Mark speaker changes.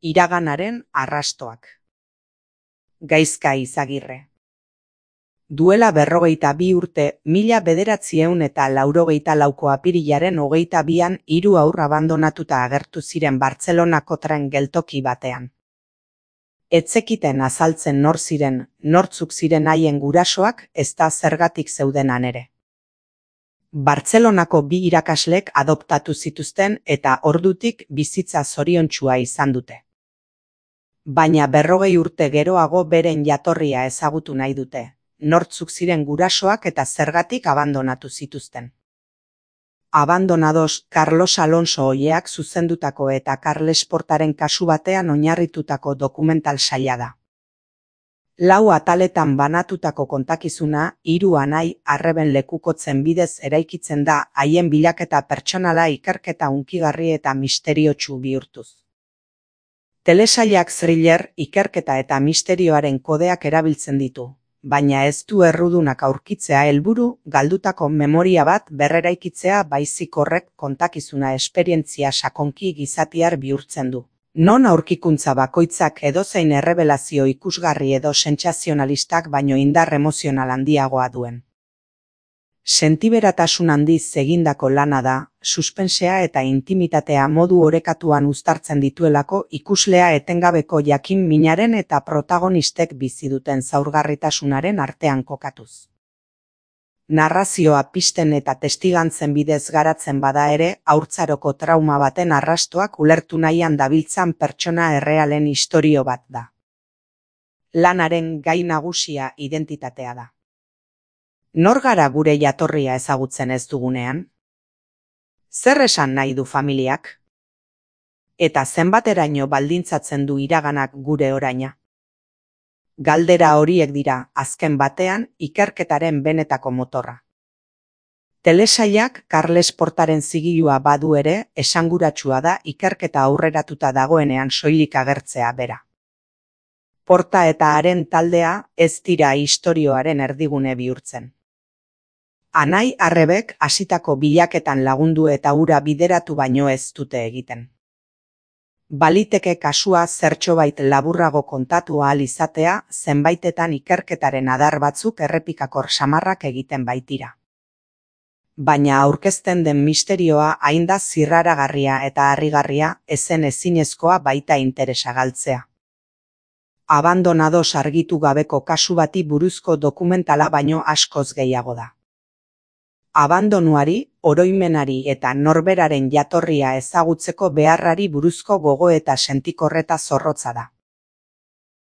Speaker 1: Iraganaren arrastoak. Gaizka Izagirre. Duela 42 urte, 1984ko apirilaren 22an 3 haur abandonatuta agertu ziren Bartzelonako tren geltoki batean. Ez zekiten azaltzen nor ziren, nortzuk ziren haien gurasoak, ezta zergatik zeudenan ere. Bartzelonako 2 irakaslek adoptatu zituzten eta ordutik bizitza zoriontsua izan dute. Baina 40 urte geroago beren jatorria ezagutu nahi dute, nortzuk ziren gurasoak eta zergatik abandonatu zituzten. Abandonados Carlos Alonso Olleak zuzendutako eta Carles Portaren kasu batean oinarritutako dokumental saila da. 4 ataletan banatutako kontakizuna 3 anai arreben lekukotzen bidez eraikitzen da haien bilaketa pertsonala ikerketa hunkigarri eta misteriotsu bihurtuz. Telesailak thriller, ikerketa eta misterioaren kodeak erabiltzen ditu, baina ez du errudunak aurkitzea helburu, galdutako memoria bat berreraikitzea baizik horrek kontakizuna esperientzia sakonki gizatiar bihurtzen du. Non aurkikuntza bakoitzak edozein errebelazio ikusgarri edo sentsazionalistak baino indar emozional handiagoa duen. Sentiberatasun handiz egindako lana da, suspensea eta intimitatea modu orekatuan uztartzen dituelako ikuslea etengabeko jakin minaren eta protagonistek bizi duten zaurgarritasunaren artean kokatuz. Narrazioa pisten eta testigantzen bidez garatzen bada ere, haurtzaroko trauma baten arrastoak ulertu nahian dabiltzan pertsona errealen istorio bat da. Lanaren gai nagusia identitatea da. Nor gara gure jatorria ezagutzen ez dugunean? Zer esan nahi du familiak? Eta zenbateraino baldintzatzen du iraganak gure oraina? Galdera horiek dira, azken batean, ikerketaren benetako motorra. Telesailak Carles Portaren zigilua badu ere, esanguratsua da ikerketa aurreratuta dagoenean soilik agertzea bera. Porta eta haren taldea ez dira istorioaren erdigune bihurtzen. Anai arrebek hasitako bilaketan lagundu eta hura bideratu baino ez dute egiten. Baliteke kasua zertxobait laburrago kontatu ahal izatea, zenbaitetan ikerketaren adar batzuk errepikakor samarrak egiten baitira. Baina aurkezten den misterioa hain da zirraragarria eta harrigarria, ezen ezinezkoa baita interesa galtzea. Abandonados argitu gabeko kasu bati buruzko dokumentala baino askoz gehiago da. Abandonuari, oroimenari eta norberaren jatorria ezagutzeko beharrari buruzko gogo eta sentikorreta zorrotza da.